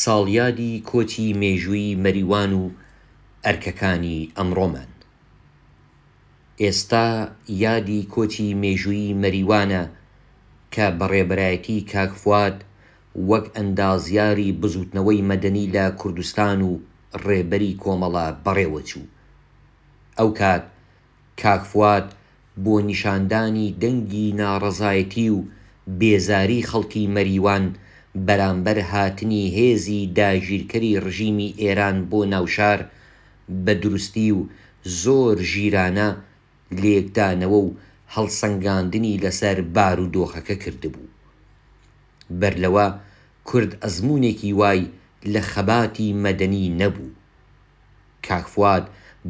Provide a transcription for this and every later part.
ساڵیادی کۆچی مێژوویی مەریوان و ئەرکەکانی ئەمڕۆمان. ئێستا یادی کۆچی مێژوویی مەریوانە کە بە ڕێبەرایەتی کاک فواد وەک ئەندازیاری بزووتنەوەی مەدەنی لە کوردستان و ڕێبەری کۆمەڵە بەڕێوەچوو. ئەوکات کاک فواد بۆ نیشاندانی دەنگی ناڕەزایەتی و بێزاری خەڵکی مەریوان بەرامبەر هاتنی هێزی داگیرکەری ڕژیمی ئێران بۆ ناوشار بە دروستی و زۆر ژیرانە لێکدانەوە و هەڵسەنگاندنی لەسەر بارودۆخەکە کردبوو. بەر لەوە کورد ئەزموونێکی وای لە خەباتی مەدەنی نەبوو. کاک فواد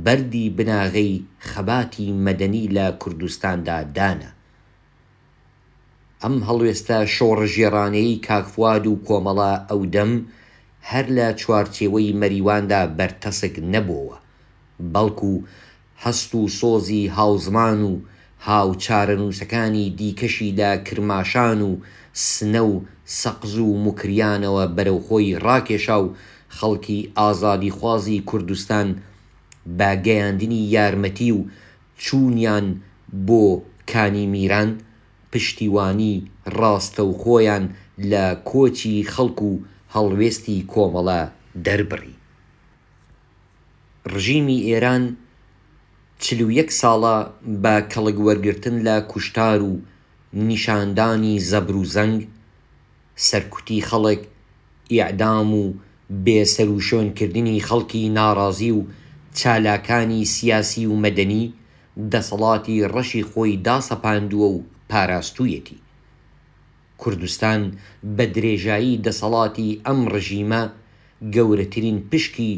بەردی بناغەی خەباتی مەدەنی لە کوردستاندا دانا. ئەم هەڵوێستە شۆڕشگێڕانەیەی کاک فواد و کۆمەڵە ئەودەم هەر لە چوارچێوەی مەریواندا بەرتەسک نەبۆوە، بەڵکو هەست و سۆزی هاوزمان و هاوچارەنووسەکانی دیکەشی لە کرماشان و سنە و سەقز و موکریانەوە بەرەو خۆی ڕاکێشا و خەڵکی ئازادیخوازی کوردستان بە گەیاندنی یارمەتی و چوونیان بۆ کانی میران پشتیوانی ڕاستەوخۆیان لە کۆچی خەڵک و هەڵوێستی کۆمەڵە دەربڕی. ڕژیمی ئێران 41 ساڵە بە کەڵک وەرگرتن لە کوشتار و نیشاندانی زەبر و زەنگ، سەرکوتی خەڵک، ئیعدام و بێ سەروشوێن کردنی خەڵکی ناڕازی و چالاکانی سیاسی و مەدەنی، دەسەڵاتی ڕەشی خۆی داسەپاندووە و پاراستوویەتی. کوردستان بە درێژایی دەسەڵاتی ئەم ڕژیمە گەورەترین پشکی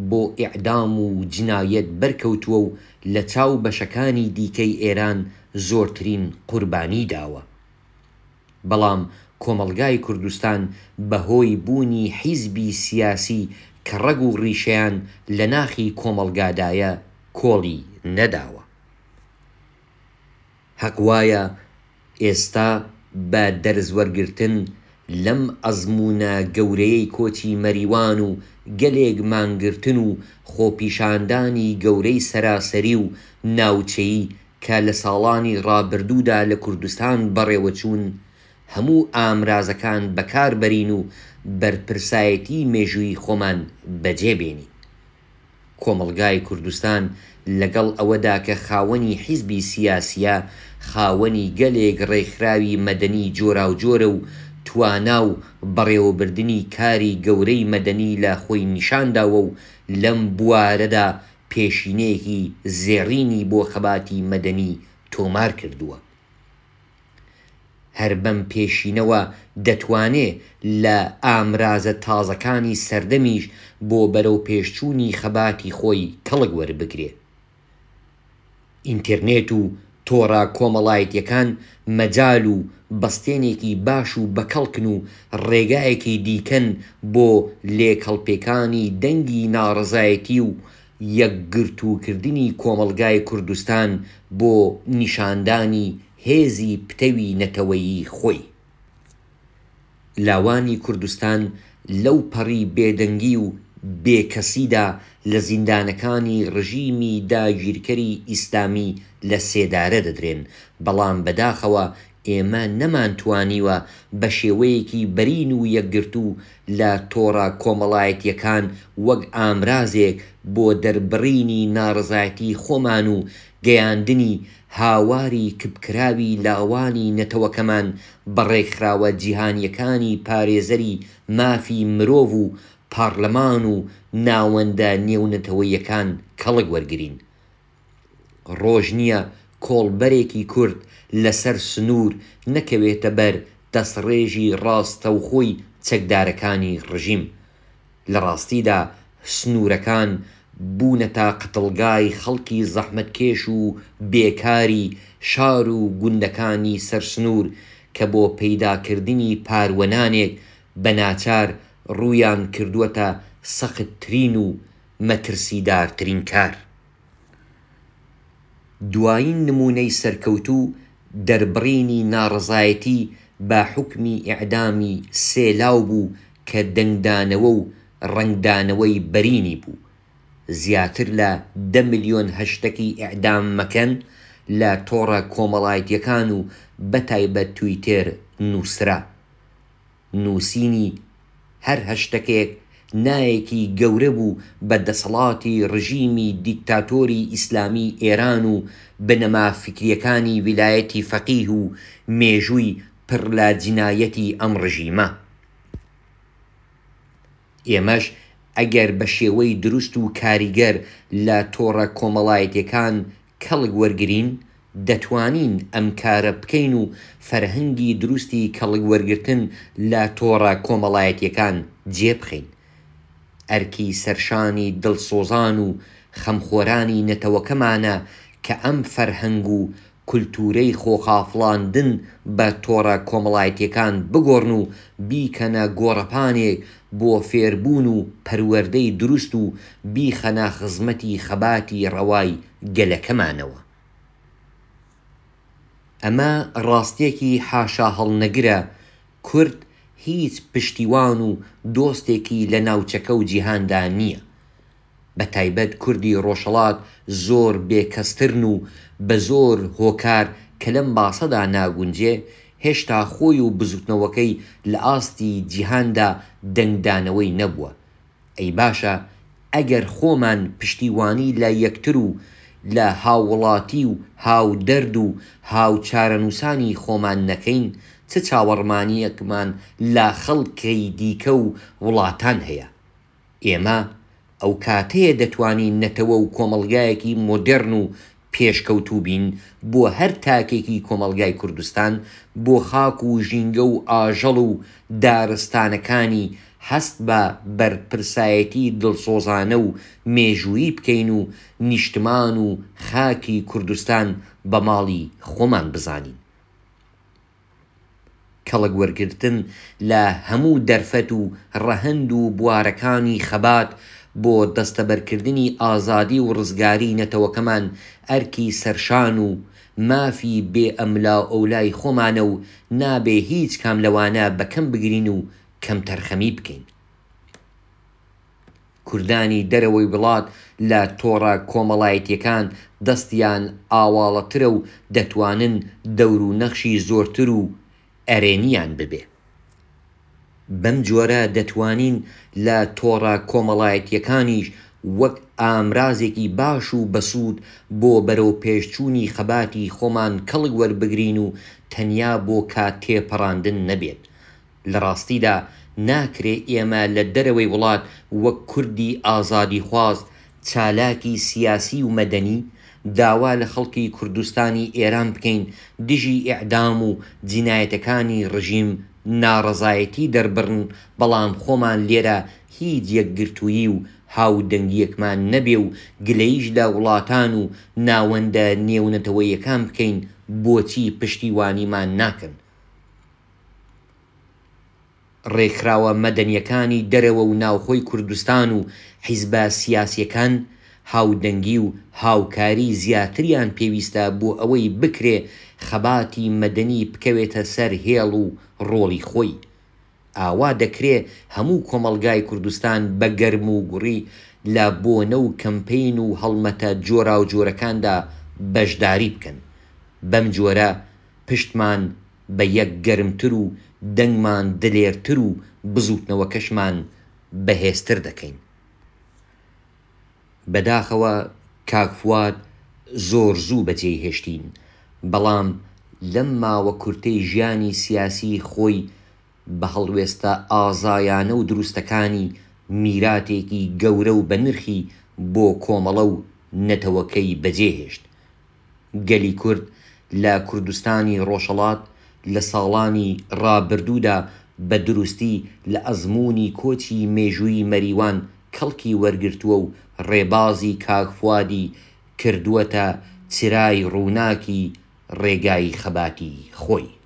بۆ ئیعدام و جنایەت بەرکەوتووە و لە چاو بەشەکانی دیکەی ئێران زۆرترین قوربانی داوە. بەڵام کۆمەڵگای کوردستان بە هۆی بوونی حیزبی سیاسی کە ڕەگ و ڕیشەیان لە ناخی کۆمەڵگادایە کۆڵی نەداوە. هەق وایە ئێستا بە دەرس وەرگرتن لەم ئەزموونە گەورەیەی کۆچی مەریوان و گەلێک مانگرتن و خۆپیشاندانی گەورەی سەراسەری و ناوچەیی کە لە ساڵانی ڕابردوودا لە کوردستان بەڕێوەچوون، هەموو ئامرازەکان بەکار بەرین و بەرپرسایەتی مێژوویی خۆمان بەجێ بێنین. کۆمەڵگای کوردستان لەگەڵ ئەوەدا کە خاوەنی حیزبی سیاسییە، خاوەنی گەلێک ڕێکخراوی مەدەنی جۆراوجۆرە و توانا و بەڕێوەبردنی کاری گەورەی مەدەنی لە خۆی نیشانداوە و لەم بوارەدا پێشینەیەکی زێڕینی بۆ خەباتی مەدەنی تۆمار کردووە. هەر بەم پێشینەوە دەتوانێ لە ئامرازە تازەکانی سەردەمیش بۆ بەرەوپێشچوونی خەباتی خۆی کەڵک وەربگرێ. ئینتێرنێت و تۆڕە کۆمەڵایەتییەکان مەجال و بەستێنێکی باش و بەکەڵکن و ڕێگایەکی دیکەن بۆ لێکهەڵپێکانی دەنگی ناڕەزایەتی و یەکگرتووکردنی کۆمەڵگای کوردستان بۆ نیشاندانی هێزی پتەوی نەتەوەیی خۆی. لاوانی کوردستان لەو پەڕی بێدەنگی و بێکەسیدا لە زیندانەکانی ڕژیمی داگیرکەری ئیسلامی لە سێدارە دەدرێن، بەڵام بەداخەوە ئێمە نەمانتوانیوە بە شێوەیەکی بەرین و یەکگرتوو لە تۆڕە کۆمەڵایەتییەکان وەک ئامرازێک بۆ دەربڕینی ناڕەزایەتی خۆمان و گەیاندنی هاواری کپکراوی لاوانی نەتەوەکەمان بە ڕێکخراوە جیهانییەکانی پارێزەری مافی مرۆڤ و پارلەمان و ناوەندە نێونەتەوەییەکان کەڵک وەرگرین. ڕۆژ نییە کۆڵبەرێکی کورد لەسەر سنوور نەکەوێتە بەر دەستڕێژی ڕاستەوخۆی چەکدارەکانی ڕژیم. لە ڕاستیدا سنوورەکان بوونەتە قەتڵگای خەڵکی زەحمەتکێش و بێکاری شار و گوندەکانی سەر سنوور کە بۆ پەیداکردنی پاروە نانێک بە ناچار ڕوویان کردووەتە سەختترین و مەترسیدارترین کار. دوایین نموونەی سەرکەوتوو دەربڕینی ناڕەزایەتی بە حوکمی ئیعدامی سێ لاو بوو. کە دەنگدانەوە و ڕەنگدانەوەی بەرینی بوو. زیاتر لە دە ملیۆن هەشتەکی ئیعدام مەکەن لە تۆڕە کۆمەڵایەتیەکان و بەتایبەت تویتێر نووسرا. نووسینی هەر هەشتەکێک نایەکی گەورە بوو بە دەسەڵاتی ڕژیمی دیکتاتۆری ئیسلامی ئێران و بنەما فیکریەکانی ویلایەتی فەقیه و مێژووی پڕ لە جینایەتی ئەم ڕژیمە. ئێمەش ئەگەر بە شێوەی دروست و کاریگەر لە تۆڕە کۆمەڵایەتیەکان کەڵک وەرگرین، دەتوانین ئەم کارە بکەین و فەرهەنگی دروستی کەڵک وەرگرتن لە تۆڕە کۆمەڵایەتیەکان جێ بخەین. ئەرکی سەرشانی دڵسۆزان و خەمخۆرانی نەتەوەکەمانە کە ئەم فەرهەنگ و کولتوورەی خۆخافڵاندن بە تۆڕە کۆمەڵایەتیەکان بگۆڕن و بیکەنە گۆڕەپانێک بۆ فێربوون و پەروەردەی دروست و بیخەنە خزمەتی خەباتی ڕەوای گەلەکەمانەوە. ئەمە ڕاستیەکی حاشاهەڵنەگرە کورد هیچ پشتیوان و دۆستێکی لە ناوچەکە و جیهاندا نیە. بە تایبەت کوردی ڕۆژهەڵات زۆر بێ کەسترن و بە زۆر هۆکار کە لەم باسەدا ناگونجێ، هێشتا خۆی و بزوتنەوەکەی لە ئاستی جیهاندا دەنگدانەوەی نەبووە. ئەی باشە ئەگەر خۆمان پشتیوانی لە یەکتر و لە هاووڵاتی و هاودەرد و هاوچارەنووسانی خۆمان نەکەین، چ چاوەڕمانییەکمان لە خەڵکی دیکە و وڵاتان هەیە؟ ئێمە ئەو کاتەیە دەتوانین نەتەوە و کۆمەڵگایەکی مۆدێڕن و پێشکەوتوو بین بۆ هەر تاکێکی کۆمەڵگای کوردستان، بۆ خاک و ژینگە و ئاژەڵ و دارستانەکانی هەست بە بەرپرسایەتی دڵسۆزانە و مێژوویی بکەین و نیشتمان و خاکی کوردستان بە ماڵی خۆمان بزانین. کەڵک وەرگرتن لە هەموو دەرفەت و ڕەهەند و بوارەکانی خەبات بۆ دەستەبەرکردنی ئازادی و ڕزگاری نەتەوەکەمان ئەرکی سەرشان و مافی بێ ئەملاوئەولای خۆمانە و نابێ هیچ کام لەوانە بە کەم بگرین و کەمتەرخەمی بکەین. کوردانی دەرەوەی وڵات لە تۆڕە کۆمەڵایەتیەکان دەستیان ئاواڵەترە و دەتوانن دەور و نەخشی زۆرتر و ئەرێنیان ببێ. بەم جۆرە دەتوانین لە تۆڕە کۆمەڵایەتیەکانیش وەک ئامرازێکی باش و بەسوود بۆ بەرەوپێشچوونی خەباتی خۆمان کەڵک وەربگرین و تەنیا بۆ کات تێپەڕاندن نەبێت. لە ڕاستیدا ناکرێ ئێمە لە دەرەوەی وڵات وەک کوردی ئازادیخواز، چالاکی سیاسی و مەدەنی، داوا لە خەڵکی کوردستانی ئێران بکەین دژی ئێعدام و جینایەتەکانی ڕژیم ناڕەزایەتی دەربڕن بەڵام خۆمان لێرە هیچ یەکگرتوویی و هاودەنگییەکمان نەبێ و گلەییش لە وڵاتان و ناوەندە نێونەتەوەییەکان بکەین بۆچی پشتیوانیمان ناکەن. ڕێکخراوە مەدەنیەکانی دەرەوە و ناوخۆی کوردستان و حیزبە سیاسیەکان هاودەنگی و هاوکاری زیاتریان پێویستە بۆ ئەوەی بکرێ خەباتی مەدەنی بکەوێتە سەر هێڵ و ڕۆڵی خۆی. ئاوا دەکرێ هەموو کۆمەڵگای کوردستان بە گەرم و گوڕی لە بۆنە و کەمپەین و هەڵمەتە جۆراوجۆرەکاندا بەشداری بکەن. بەم جۆرە پشتمان بە یەک گەرمتر و دەنگمان دلێرتر و بزووتنەوەکەشمان بەهێزتر دەکەین. بەداخەوە کاک فواد زۆر زوو بەجێی هێشتین، بەڵام لەم ماوە کورتەی ژیانی سیاسیی خۆی بە هەڵوێستە ئازایانە و دروستەکانی میراتێکی گەورە و بەنرخی بۆ کۆمەڵە و نەتەوەکەی بەجێ هێشت. گەلی کورد لە کوردستانی ڕۆژهەڵات لە ساڵانی ڕابردوودا بە دروستی لە ئەزموونی کۆچی مێژوویی مەریوان کەڵکی وەرگرتووە و ڕێبازی کاک فوادی کردووەتە چرای ڕووناکی ڕێگای خەباتی خۆی.